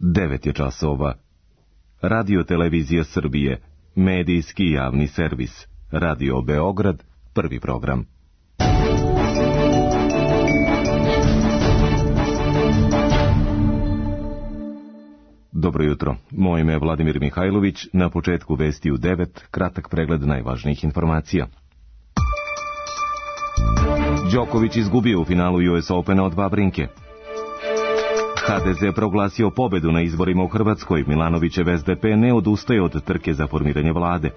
9 je časova. Radio Televizija Srbije, medijski javni servis. Radio Beograd, prvi program. Dobro jutro, moje ime je Vladimir Mihajlović, na početku vesti u 9, kratak pregled najvažnijih informacija. Đoković izgubio u finalu US Opena od Vavrinke. HDZ proglasio pobedu na izborima u Hrvatskoj, Milanovićev SDP ne odustaje od trke za formiranje vlade.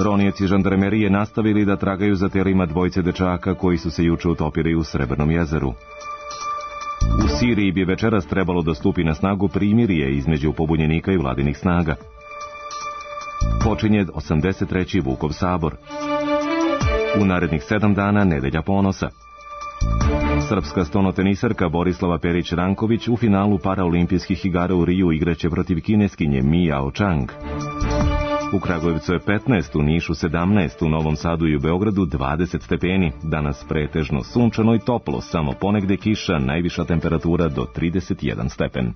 Ronioci žandarmerije nastavili da tragaju za telima dvojice dečaka koji su se juče utopili u Srebrnom jezeru. U Siriji bi večeras trebalo da stupi na snagu primirje između pobunjenika i vladinih snaga. Počinje 83. Vukov sabor. U narednih 7 dana nedelja ponosa. Srpska stonotenisarka Borislava Perić-Ranković u finalu paraolimpijskih igara u Riju igraće protiv kineskinje Mi Jao Chang. U Kragujevcu je 15, u Nišu 17, u Novom Sadu i u Beogradu 20 stepeni. Danas pretežno sunčano i toplo, samo ponegde kiša, najviša temperatura do 31 stepen.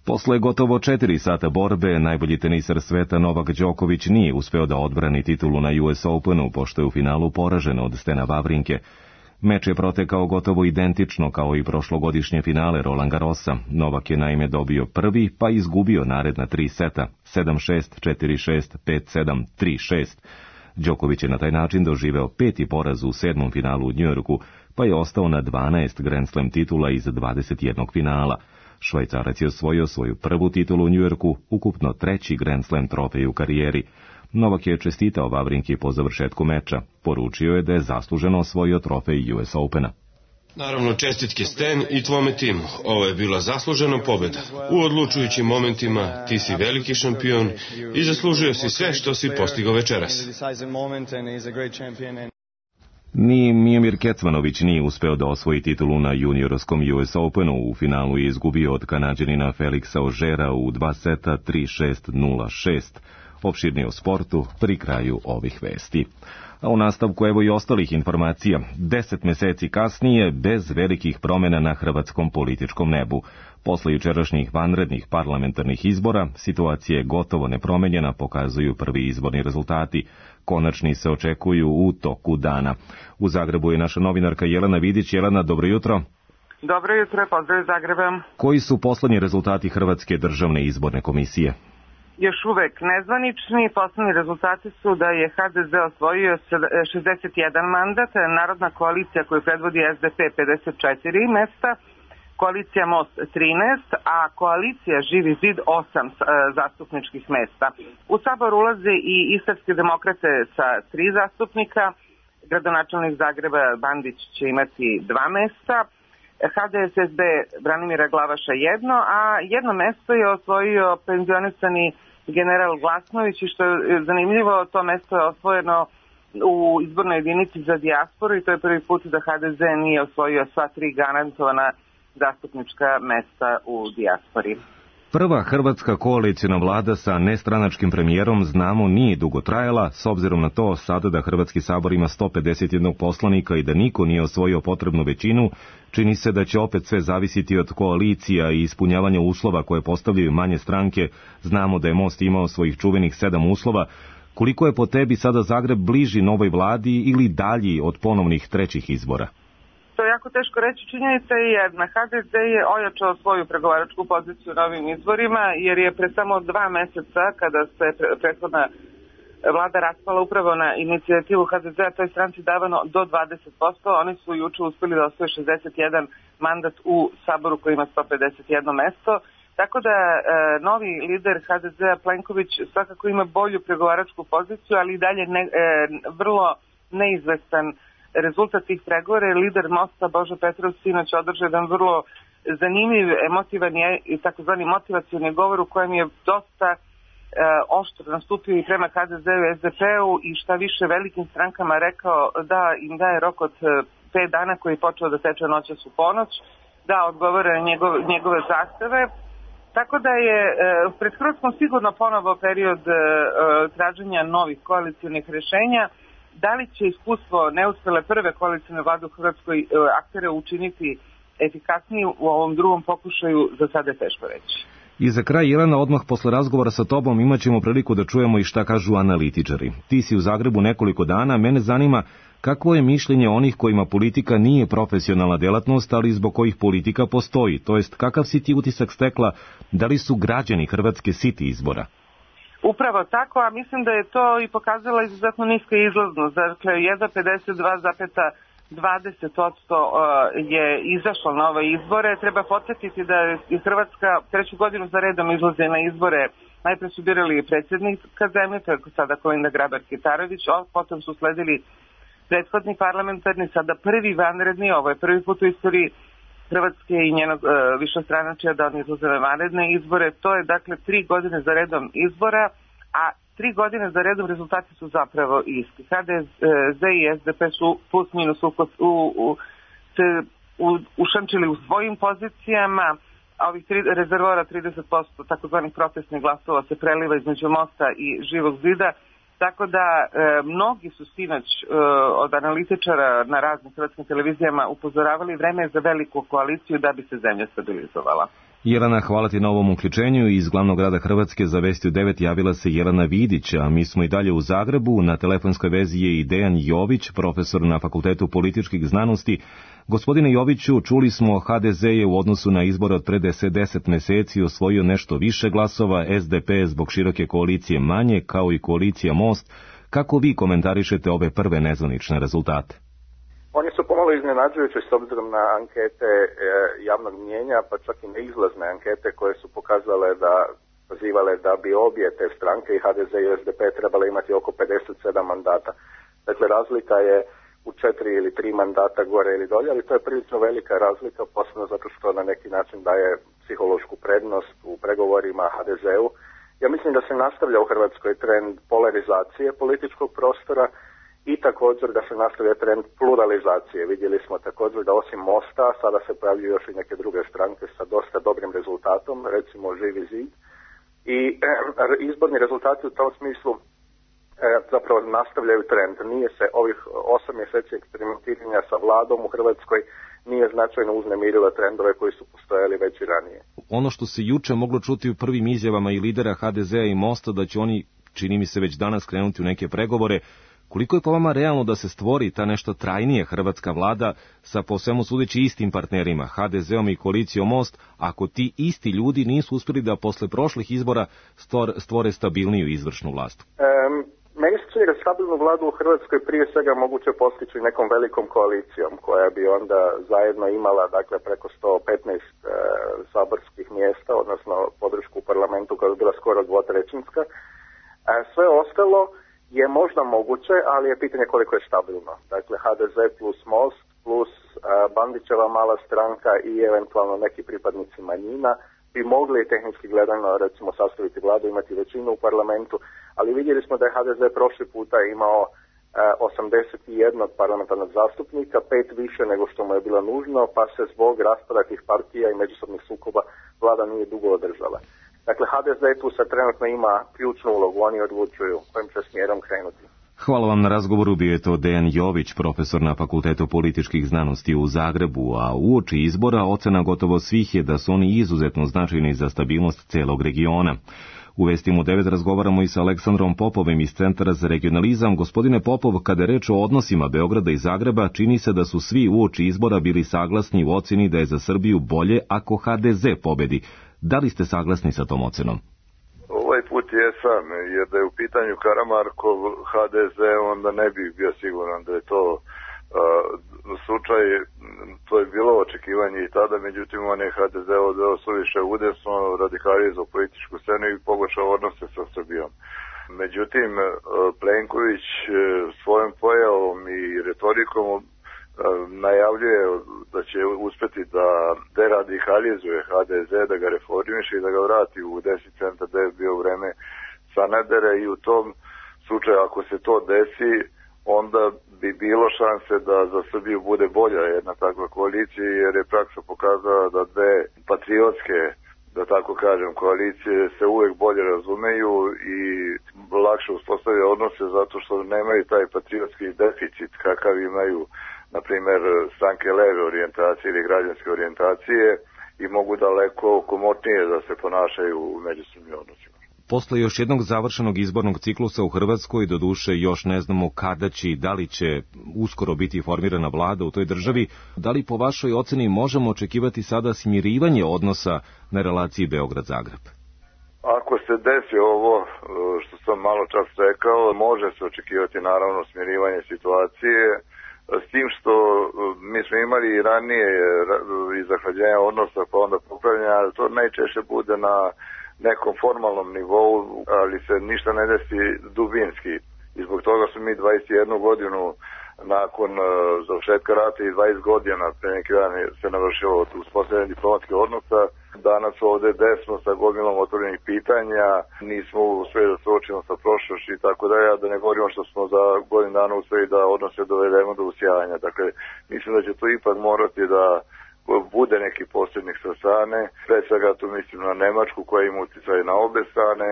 Posle gotovo 4 sata borbe, najbolji tenisar sveta Novak Đoković nije uspeo da odbrani titulu na US Openu, pošto je u finalu poražen od Stena Vavrinke. Meč je protekao gotovo identično kao i prošlogodišnje finale Roland Garrosa. Novak je naime dobio prvi, pa izgubio naredna 3 seta, 7-6, 4-6, 5-7, 3-6. Đoković je na taj način doživeo 5. poraz u 7. finalu u Njujorku, pa je ostao na 12 Grand Slam titula iz 21 finala. Švajcarac je osvojio svoju prvu titulu u Njujorku, ukupno 3. Grand Slam trofej u karijeri. Novak je čestitao Vavrinki po završetku meča. Poručio je da je zasluženo osvojio trofej US Opena. Naravno, čestitke Sten i tvome timu. Ovo je bila zaslužena pobjeda. U odlučujućim momentima ti si veliki šampion i zaslužio si sve što si postigao večeras. Ni Mijomir Kecmanović nije uspeo da osvoji titulu na juniorskom US Openu. U finalu je izgubio od Kanađanina Feliksa Ožera u 2 seta 3-6, 0-6. Opširnije o sportu pri kraju ovih vesti. A u nastavku evo i ostalih informacija. 10 meseci kasnije, bez velikih promjena na hrvatskom političkom nebu. Posle jučerašnjih vanrednih parlamentarnih izbora, situacija je gotovo nepromenjena, pokazuju prvi izborni rezultati. Konačni se očekuju u toku dana. U Zagrebu je naša novinarka Jelena Vidić. Jelena, dobro jutro. Dobro jutro, pozdrav iz Zagreba. Koji su poslednji rezultati Hrvatske državne izborne komisije? Još uvek nezvanični. Poslednji rezultati su da je HDZ osvojio 61 mandat, Narodna koalicija koju predvodi SDP 54 mesta, koalicija Most 13, a koalicija Živi zid 8 zastupničkih mesta. U sabor ulaze i istarske demokrate sa 3 zastupnika, gradonačelnik Zagreba Bandić će imati 2 mesta, HDSSB Branimira Glavaša 1, a jedno mesto je osvojio penzionisani general Glasnović i što je zanimljivo, to mesto je osvojeno u izbornoj jedinici za dijasporu i to je prvi put da HDZ nije osvojio sva 3 garantovana zastupnička mesta u dijaspori. Prva hrvatska koalicijna vlada sa nestranačkim premijerom, znamo, nije dugo trajala, s obzirom na to sada da Hrvatski sabor ima 151 poslanika i da niko nije osvojio potrebnu većinu, čini se da će opet sve zavisiti od koalicija i ispunjavanja uslova koje postavljaju manje stranke. Znamo da je Most imao svojih čuvenih 7 uslova. Koliko je po tebi sada Zagreb bliži novoj vladi ili dalji od ponovnih trećih izbora? To je jako teško reći. Činjenica je jedna. HDZ je ojačao svoju pregovaračku poziciju na ovim izborima, jer je pre samo 2 meseca, kada se prethodna vlada raspala upravo na inicijativu HDZ-a, toj stranci davano do 20%. Oni su juče uspeli da osvoje 61 mandat u saboru koji ima 151 mesto. Tako da novi lider HDZ-a Plenković svakako ima bolju pregovaračku poziciju, ali i dalje vrlo neizvestan rezultat tih pregovora. Lider Mosta Božo Petrov sinoć održao jedan vrlo zanimljiv, emotivan i takozvani motivacioni govor u kojem je dosta oštro nastupio i prema HDZ-u i SDP-u i šta više velikim strankama rekao da im daje rok od 5 dana koji je počeo da teče noćas u ponoć, da odgovore na njegove zahteve. Tako da je pred Hrvatskom sigurno ponovo period traženja novih koalicionih rešenja. Da li će iskustvo neuspele prve koalicijne vlade u Hrvatskoj aktere učiniti efikasniji u ovom drugom pokušaju, za sada je teško reći. I za kraj, Jelena, odmah posle razgovora sa tobom imat ćemo priliku da čujemo i šta kažu analitičari. Ti si u Zagrebu nekoliko dana, mene zanima kakvo je mišljenje onih kojima politika nije profesionalna delatnost, ali zbog kojih politika postoji, to jest kakav si ti utisak stekla, da li su građani Hrvatske siti izbora? Upravo tako, a mislim da je to i pokazala izuzetno niska izlaznost. Dakle, jedva 52,20% je izašlo na ove izbore. Treba podsjetiti da je Hrvatska treću godinu za redom izlaze na izbore. Najpre su birali predsjednika zemlje, to je sada Kolinda Grabar-Kitarović, potom su sledili prethodni parlamentarni, sada prvi vanredni, ovo je prvi put u istoriji Hrvatske i njenog višestranačja da oni izlaze na vanredne izbore. To je dakle 3 godine za redom izbora, a 3 godine za redom rezultati su zapravo isti. HDZ i SDP su plus minus se ušančili u svojim pozicijama, a ovih rezervora 30% takozvanih protestnih glasova se preliva između Mosta i Živog zida. Tako da mnogi su sinoć od analitičara na raznim hrvatskim televizijama upozoravali vreme za veliku koaliciju da bi se zemlja stabilizovala. Jelena, hvala ti na ovom uključenju. Iz glavnog grada Hrvatske za Vesti u 9 javila se Jelena Vidić, a mi smo i dalje u Zagrebu. Na telefonskoj vezi je i Dejan Jović, profesor na Fakultetu političkih znanosti. Gospodine Joviću, čuli smo, HDZ je u odnosu na izbore od pre 10 meseci osvojio nešto više glasova, SDP zbog široke koalicije manje, kao i koalicija Most. Kako vi komentarišete ove prve nezvanične rezultate? Oni su pomalo iznenađujući s obzirom na ankete javnog mnijenja, pa čak i neizlazne ankete koje su pozivale da bi obje te stranke, i HDZ i SDP, trebale imati oko 57 mandata. Dakle, razlika je u 4 ili 3 mandata gore ili dolje, ali to je prilično velika razlika, posebno zato što na neki način daje psihološku prednost u pregovorima HDZ-u. Ja mislim da se nastavlja u Hrvatskoj trend polarizacije političkog prostora i također da se nastavlja trend pluralizacije. Vidjeli smo također da osim Mosta sada se pojavljuju još i neke druge stranke sa dosta dobrim rezultatom, recimo Živi zid. I izborni rezultati u tom smislu zapravo nastavljaju trend. Nije se ovih 8 mjeseci eksperimentiranja sa vladom u Hrvatskoj nije značajno uznemirilo trendove koji su postojali već i ranije. Ono što se juče moglo čuti u prvim izjavama i lidera HDZ-a i Mosta da će oni, čini mi se, već danas krenuti u neke pregovore, koliko je po vama realno da se stvori ta nešto trajnije hrvatska vlada sa po svemu sudeći istim partnerima, HDZ-om i koalicijom Most, ako ti isti ljudi nisu uspjeli da posle prošlih izbora stvore stabilniju izvršnu vlast? Meni se čini da stabilnu vladu u Hrvatskoj prije svega moguće postići nekom velikom koalicijom koja bi onda zajedno imala dakle preko 115 saborskih mjesta, odnosno podršku u parlamentu koja bi bila skoro dvotrećinska. Sve ostalo je možda moguće, ali je pitanje koliko je stabilno. Dakle, HDZ plus Most plus Bandićeva mala stranka i eventualno neki pripadnici manjina bi mogli tehnički gledano recimo sastaviti vladu, imati većinu u parlamentu, ali vidjeli smo da je HDZ prošli puta imao 81 parlamentarnog zastupnika, 5 više nego što mu je bilo nužno, pa se zbog raspada tih partija i međusobnih sukoba vlada nije dugo održala. Dakle, HDZ tu sad trenutno ima ključnu ulogu, oni odlučuju kojim će smjerom krenuti. Hvala vam na razgovoru, bio je to Dejan Jović, profesor na Fakultetu političkih znanosti u Zagrebu, a uoči izbora ocena gotovo svih je da su oni izuzetno značajni za stabilnost celog regiona. U Vestima u 9 razgovaramo i sa Aleksandrom Popovim iz Centra za regionalizam. Gospodine Popov, kada je reč o odnosima Beograda i Zagreba, čini se da su svi uoči izbora bili saglasni u oceni da je za Srbiju bolje ako HDZ pobedi. Da li ste saglasni sa tom ocenom? Ovaj put jesam, jer da je u pitanju Karamarkov HDZ, onda ne bih bio siguran da je to slučaj. To je bilo očekivanje i tada, međutim on je HDZ odveo suviše udesno, radikalizao političku scenu i pogoršao odnose sa Srbijom. Međutim, Plenković svojom pojavom i retorikom najavljuje da će uspjeti da deradikalizuje HDZ, da ga reformiše i da ga vrati u 10 centar da je bio vreme Sanadera, i u tom slučaju ako se to desi, onda bi bilo šanse da za Srbiju bude bolja jedna takva koalicija, jer je praksa pokazala da dve patriotske, da tako kažem, koalicije se uvek bolje razumeju i lakše uspostavljaju odnose zato što nemaju taj patriotski deficit kakav imaju na primjer, stranke leve orijentacije ili građanske orijentacije i mogu daleko komotnije da se ponašaju u međusobnim odnosima. Posle još jednog završenog izbornog ciklusa u Hrvatskoj, doduše još ne znamo kada će i da li će uskoro biti formirana vlada u toj državi, da li po vašoj oceni možemo očekivati sada smirivanje odnosa na relaciji Beograd-Zagreb? Ako se desi ovo što sam malo čas rekao, može se očekivati naravno smirivanje situacije, s tim što mi smo imali i ranije i zahlađenja odnosa pa onda popravljanja, ali to najčešće bude na nekom formalnom nivou, ali se ništa ne desi dubinski. I zbog toga su mi 21 godinu nakon završetka rata i 20 godina pre neki dan se navršilo uspostavljanje diplomatskih odnosa. Danas ovde desmo sa gomilom otvorenih pitanja, nismo uspeli da se suočimo sa prošlošću i tako dalje, da ne govorimo što smo za godinu dana uspeli da odnose dovedemo do usijanja. Dakle, mislim da će to ipak morati da bude neki posrednik sa strane, pre svega tu mislim na Nemačku koja ima uticaj na obe strane,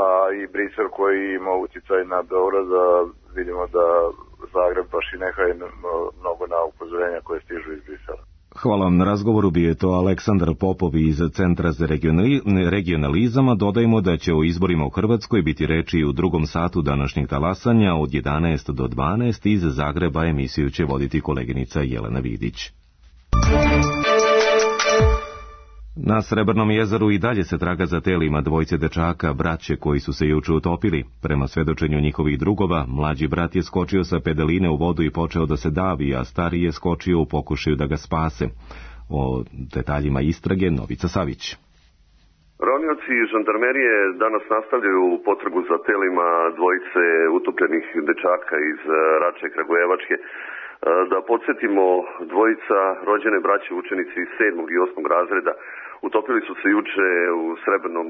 a i Brisel koji ima uticaj na Beograd, da vidimo da Zagreb baš i nehaje mnogo na upozorenja koje stižu iz Brisela. Hvala vam na razgovoru, bio je to Aleksandar Popov iz Centra za regionalizam. Dodajmo da će o izborima u Hrvatskoj biti reči u drugom satu današnjeg talasanja od 11 do 12. Iz Zagreba emisiju će voditi koleginica Jelena Vidić. Na Srebrnom jezeru i dalje se traga za telima dvojce dečaka, braće koji su se juče utopili. Prema svedočenju njihovih drugova, mlađi brat je skočio sa pedaline u vodu i počeo da se davi, a stariji je skočio u pokušaju da ga spase. O detaljima istrage Novica Savić. Ronioci i žandarmerije danas nastavljaju potragu za telima dvojice utopljenih dečaka iz Rače Kragujevačke. Da podsjetimo, dvojica rođene braće učenici iz 7. i 8. razreda utopili su se juče u Srebrnom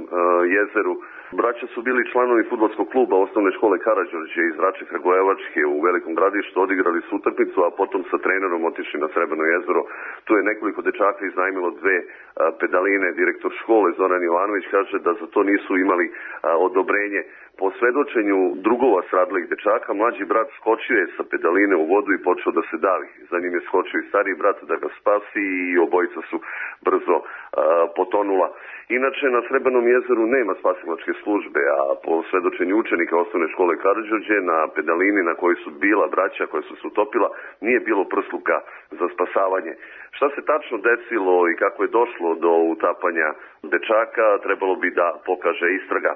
jezeru. Braća su bili članovi fudbalskog kluba osnovne škole Karađorđe iz Rače Kragujevačke u Velikom Gradištu, odigrali su utakmicu, a potom sa trenerom otišli na Srebrno jezero. Tu je nekoliko dečaka iznajmilo 2 pedaline. Direktor škole Zoran Jovanović kaže da za to nisu imali odobrenje. Po svedočenju drugova stradalih dečaka, mlađi brat skočio je sa pedaline u vodu i počeo da se davi. Za njim je skočio i stariji brat da ga spasi i obojica su brzo potonula. Inače, na Srebrnom jezeru nema spasilačke službe, a po svedočenju učenika osnovne škole Karađorđe, na pedalini na kojoj su bila braća koja su se utopila, nije bilo prsluka za spasavanje. Šta se tačno desilo i kako je došlo do utapanja dečaka, trebalo bi da pokaže istraga.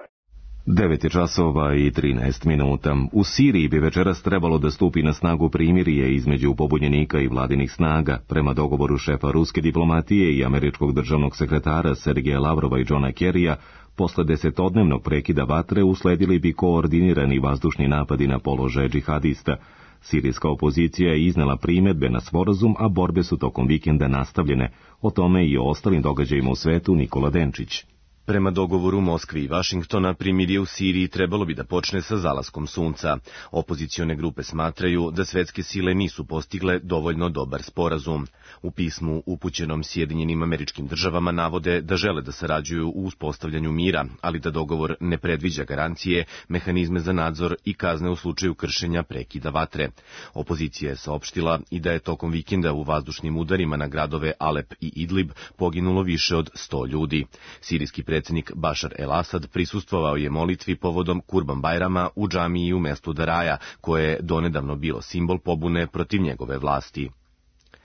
9:13. U Siriji bi večeras trebalo da stupi na snagu primirje između pobunjenika i vladinih snaga. Prema dogovoru šefa ruske diplomatije i američkog državnog sekretara Sergeja Lavrova i Johna Kerrya, posle 10-dnevnog prekida vatre usledili bi koordinirani vazdušni napadi na položaje džihadista. Sirijska opozicija je iznela primedbe na sporazum, a borbe su tokom vikenda nastavljene. O tome i o ostalim događajima u svetu Nikola Denčić. Prema dogovoru Moskve i Vašingtona, primirje u Siriji trebalo bi da počne sa zalaskom sunca. Opozicione grupe smatraju da svetske sile nisu postigle dovoljno dobar sporazum. U pismu upućenom Sjedinjenim Američkim Državama navode da žele da sarađuju u uspostavljanju mira, ali da dogovor ne predviđa garancije, mehanizme za nadzor i kazne u slučaju kršenja prekida vatre. Opozicija je saopštila i da je tokom vikenda u vazdušnim udarima na gradove Alep i Idlib poginulo više od 100 ljudi. Sirijski predsjednik Bašar el-Asad prisustvovao je molitvi povodom Kurban Bajrama u džamiji u mestu Daraja, koje je donedavno bilo simbol pobune protiv njegove vlasti.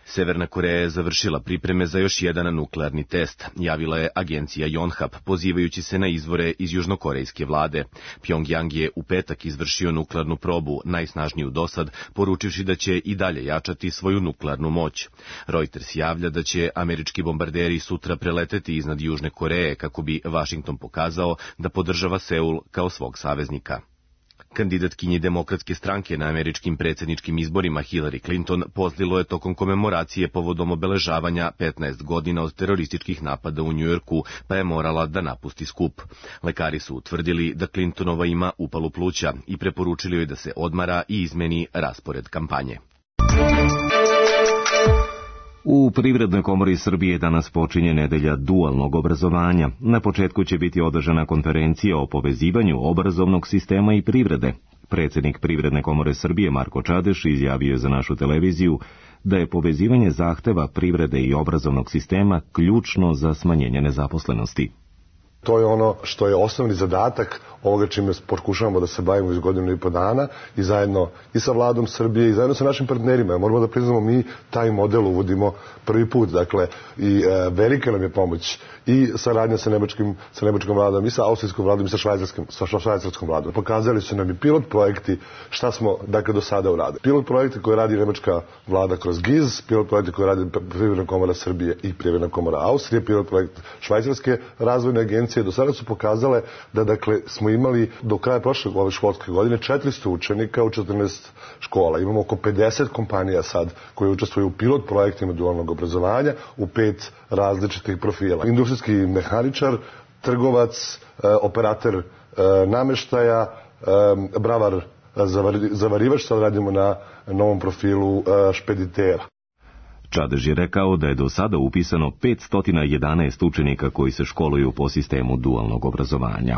Severna Koreja je završila pripreme za još jedan nuklearni test, javila je agencija Yonhap, pozivajući se na izvore iz južnokorejske vlade. Pjongjang je u petak izvršio nuklearnu probu, najsnažniju dosad, poručivši da će i dalje jačati svoju nuklearnu moć. Reuters javlja da će američki bombarderi sutra preleteti iznad Južne Koreje kako bi Vašington pokazao da podržava Seul kao svog saveznika. Kandidatkinji Demokratske stranke na američkim predsjedničkim izborima Hillary Clinton pozdilo je tokom komemoracije povodom obeležavanja 15 godina od terorističkih napada u Njujorku, pa je morala da napusti skup. Lekari su utvrdili da Clintonova ima upalu pluća i preporučili joj da se odmara i izmeni raspored kampanje. U Privrednoj komori Srbije danas počinje nedelja dualnog obrazovanja. Na početku će biti održana konferencija o povezivanju obrazovnog sistema i privrede. Predsjednik Privredne komore Srbije Marko Čadeš izjavio je za našu televiziju da je povezivanje zahteva privrede i obrazovnog sistema ključno za smanjenje nezaposlenosti. To je ono što je osnovni zadatak ovoga čime pokušavamo da se bavimo iz godinu i po dana i zajedno i sa vladom Srbije i zajedno sa našim partnerima. Moramo da priznamo, mi taj model uvodimo prvi put. Dakle, i velika nam je pomoć i saradnja sa nemačkom vladom i sa austrijskom vladom i sa švajcarskom vladom. Pokazali su nam i pilot projekti šta smo do sada uradili. Pilot projekti koje radi nemačka vlada kroz GIZ, pilot projekti koje radi Privredna komora Srbije i Privredna komora Austrije, pilot projekt švajcarske razvojne agencije. Do sada su pokazale da smo imali do kraja ove školske godine 400 učenika u 14 škola. Imamo oko 50 kompanija sad koje učestvuju u pilot projektima dualnog obrazovanja u 5 različitih profila. Industrijski mehaničar, trgovac, operator nameštaja, bravar, zavarivač, sad radimo na novom profilu špeditera. Čadež je rekao da je do sada upisano 511 učenika koji se školuju po sistemu dualnog obrazovanja.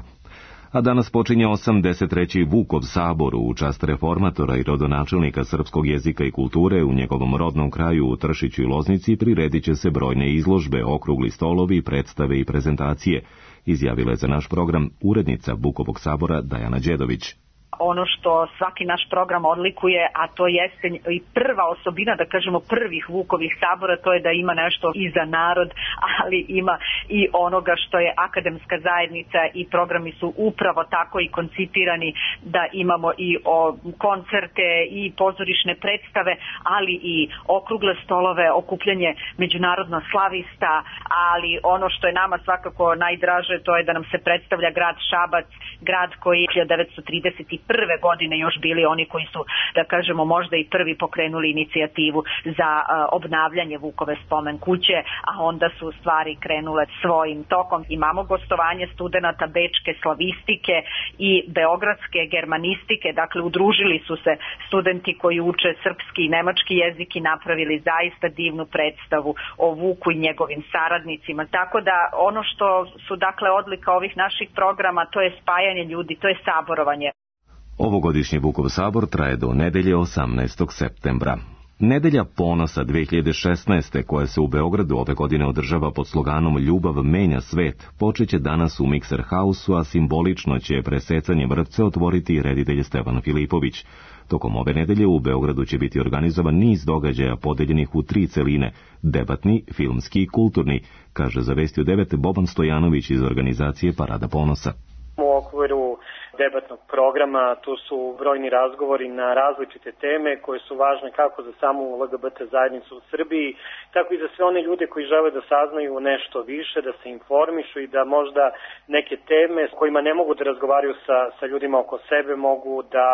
A danas počinje 83. Vukov sabor u čast reformatora i rodonačelnika srpskog jezika i kulture u njegovom rodnom kraju u Tršiću i Loznici priredit će se brojne izložbe, okrugli stolovi, predstave i prezentacije, izjavila je za naš program urednica Vukovog sabora Dajana Đedović. Ono što svaki naš program odlikuje, a to jeste i prva osobina, da kažemo prvih Vukovih sabora, to je da ima nešto i za narod, ali ima i onoga što je akademska zajednica i programi su upravo tako i koncipirani da imamo i koncerte i pozorišne predstave, ali i okrugle stolove, okupljanje međunarodno slavista, ali ono što je nama svakako najdraže, to je da nam se predstavlja grad Šabac, grad koji je 1931. godine još bili oni koji su, da kažemo, možda i prvi pokrenuli inicijativu za obnavljanje Vukove spomen kuće, a onda su stvari krenule svojim tokom. Imamo gostovanje studenata bečke slavistike i beogradske germanistike, dakle udružili su se studenti koji uče srpski i nemački jezik i napravili zaista divnu predstavu o Vuku i njegovim saradnicima. Tako da ono što su dakle odlika ovih naših programa, to je spajanje ljudi, to je saborovanje. Ovogodišnji Vukov sabor traje do nedelje 18. septembra. Nedelja ponosa 2016. koja se u Beogradu ove godine održava pod sloganom Ljubav menja svet, počeće danas u Mikser Hausu, a simbolično će presecanje vrpce otvoriti reditelj Stevan Filipović. Tokom ove nedelje u Beogradu će biti organizovan niz događaja podeljenih u 3 celine, debatni, filmski i kulturni, kaže za Vesti u 9 Boban Stojanović iz organizacije Parada ponosa. U okviru debatnog programa tu su brojni razgovori na različite teme koje su važne kako za samu LGBT zajednicu u Srbiji, tako i za sve one ljude koji žele da saznaju nešto više, da se informišu i da možda neke teme s kojima ne mogu da razgovaraju sa ljudima oko sebe mogu da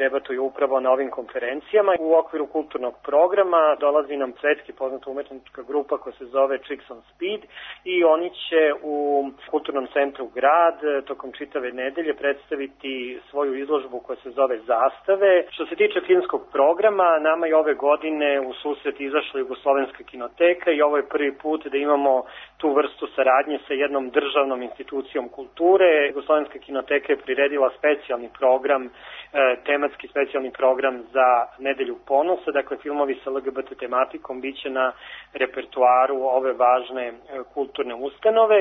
debatuju upravo na ovim konferencijama. U okviru kulturnog programa dolazi nam svetski poznata umetnička grupa koja se zove Chicks on Speed i oni će u kulturnom centru Grad tokom čitave nedelje predstaviti svoju izložbu koja se zove Zastave. Što se tiče filmskog programa, nama je ove godine u susret izašla Jugoslovenska kinoteka i ovo je prvi put da imamo tu vrstu saradnje sa jednom državnom institucijom kulture. Jugoslovenska kinoteka je priredila specijalni program, tematski specijalni program za Nedelju ponosa, dakle filmovi sa LGBT tematikom biće na repertoaru ove važne kulturne ustanove.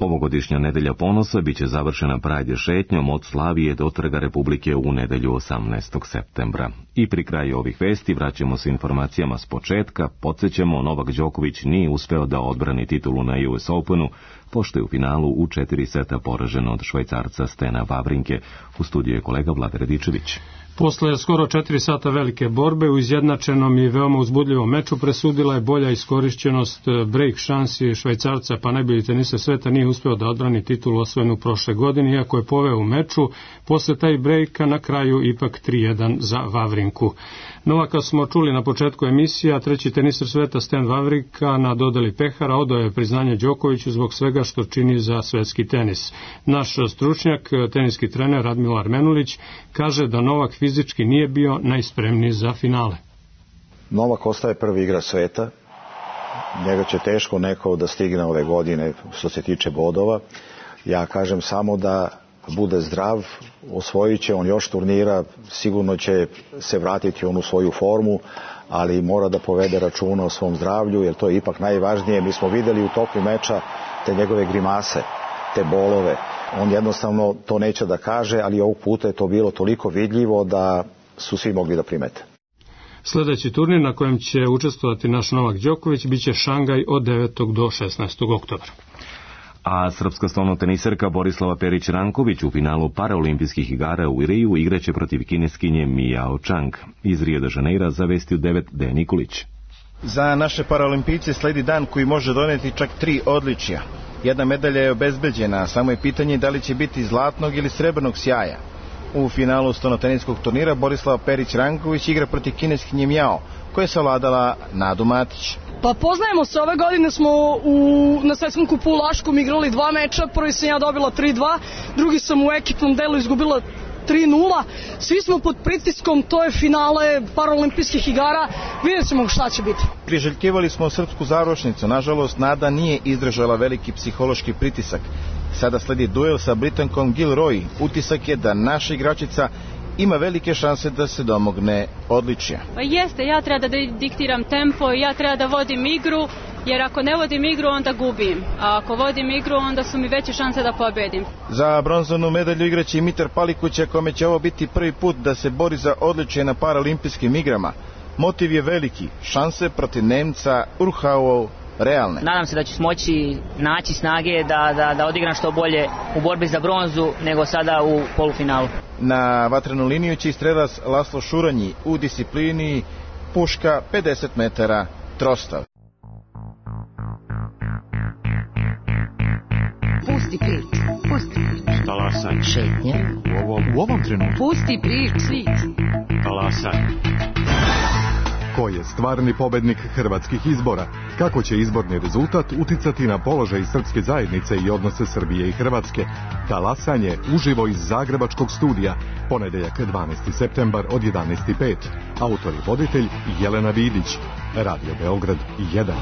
Ovogodišnja Nedelja ponosa biće završena Prajde šetnjom od Slavije do Trga Republike u nedelju 18. septembra. I pri kraju ovih vesti vraćamo se informacijama s početka. Podsjećamo, Novak Đoković nije uspeo da odbrani titulu na US Openu, pošto je u finalu u 4 seta poražen od Švajcarca Stena Wawrinke. U studiju je kolega Vlada Radičević. Posle skoro 4 sata velike borbe u izjednačenom i veoma uzbudljivom meču presudila je bolja iskorišćenost break šansi Švajcarca, pa najbolji teniser sveta nije uspeo da odbrani titulu osvojenu prošle godine, iako je poveo u meču. Posle taj breaka na kraju ipak 3-1 za Wavrinku. Novaka smo čuli na početku emisija, treći teniser sveta Stan Wawrinka na dodeli pehara odao je priznanje Đokoviću zbog svega što čini za svetski tenis. Naš stručnjak, teniski trener Radmilar Menulić, kaže da Novak fizički nije bio najspremniji za finale. Novak ostaje prvi igrač sveta. Njega će teško neko da stigne ove godine što se tiče bodova. Ja kažem samo da bude zdrav, osvojit će on još turnira, sigurno će se vratiti u svoju formu, ali mora da povede računa o svom zdravlju, jer to je ipak najvažnije. Mi smo videli u toku meča te njegove grimase, te bolove. On jednostavno to neće da kaže, ali ovog puta je to bilo toliko vidljivo da su svi mogli da primete. Sljedeći turnir na kojem će učestvovati naš Novak Đoković biće Šangaj od 9. do 16. oktobra. A srpska stolnoteniserka Borislava Perić-Ranković u finalu paraolimpijskih igara u Riju igraće protiv kineskinje Mijao Chang. Iz Rio de Janeira zavestio 9 Dejan Nikolić. Za naše paraolimpijce sledi dan koji može doneti čak 3 odličja. Jedna medalja je obezbeđena, samo je pitanje da li će biti zlatnog ili srebrnog sjaja. U finalu stolnoteniskog turnira Borislava Perić-Ranković igra protiv kineskinje Mijao, koja je savladala Nadu Matić. Pa poznajemo se, ove godine smo na svetskom kupu u Laškom igrali 2 meča, prvi sam ja dobila 3-2, drugi sam u ekipnom delu izgubila 3-0, svi smo pod pritiskom, to je finale paraolimpijskih igara, vidjet ćemo šta će biti. Priželjkivali smo srpsku završnicu, nažalost Nada nije izdržala veliki psihološki pritisak. Sada sledi duel sa Britankom Gilroy, utisak je da naša igračica ima velike šanse da se domogne odličja. Pa jeste, ja treba da diktiram tempo, ja treba da vodim igru, jer ako ne vodim igru onda gubim, a ako vodim igru onda su mi veće šanse da pobedim. Za bronzanu medalju igraće Mitar Palikuća, kome će ovo biti prvi put da se bori za odličje na paraolimpijskim igrama. Motiv je veliki, šanse protiv Nemca Urhauov realne. Nadam se da ću moći naći snage da odigram što bolje u borbi za bronzu nego sada u polufinalu. Na vatrenu liniju će strelac Laslo Šuranji u disciplini puška 50 metara trostav. Pusti priču, pusti priču. Talasaj. Šetnje. U ovom trenutku. Pusti priču. Talasaj. Ko je stvarni pobednik hrvatskih izbora? Kako će izborni rezultat uticati na položaj srpske zajednice i odnose Srbije i Hrvatske? Talasanje uživo iz Zagrebačkog studija, ponedeljak 12. septembar od 11:05. Autor i voditelj Jelena Vidić. Radio Beograd 1.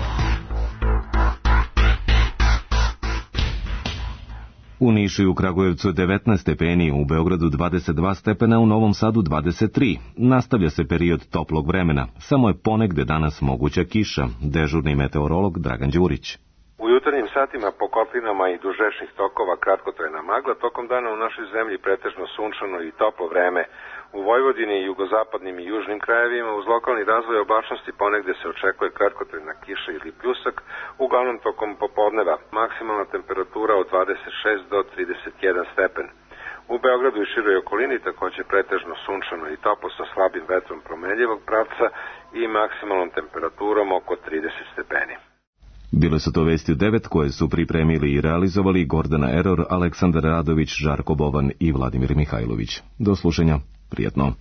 U Nišu i u Kragujevcu 19 stepeni, u Beogradu 22 stepena, u Novom Sadu 23. Nastavlja se period toplog vremena, samo je ponegde danas moguća kiša. Dežurni meteorolog Dragan Đurić. U jutarnjim satima po koplinama i duž rečnih tokova kratkotrajna magla, tokom dana u našoj zemlji pretežno sunčano i toplo vreme. U Vojvodini, jugozapadnim i južnim krajevima uz lokalni razvoj oblačnosti ponegde se očekuje kratkotrajna kiša ili pljusak, uglavnom tokom popodneva. Maksimalna temperatura od 26 do 31 stepen. U Beogradu i široj okolini takođe pretežno sunčano i toplo sa slabim vetrom promenljivog pravca i maksimalnom temperaturom oko 30 stepeni. Bile su to vesti od 9 koje su pripremili i realizovali Gordana Eror, Aleksandar Radović, Žarko Bovan i Vladimir Mihajlović. Do slušanja, prijatno.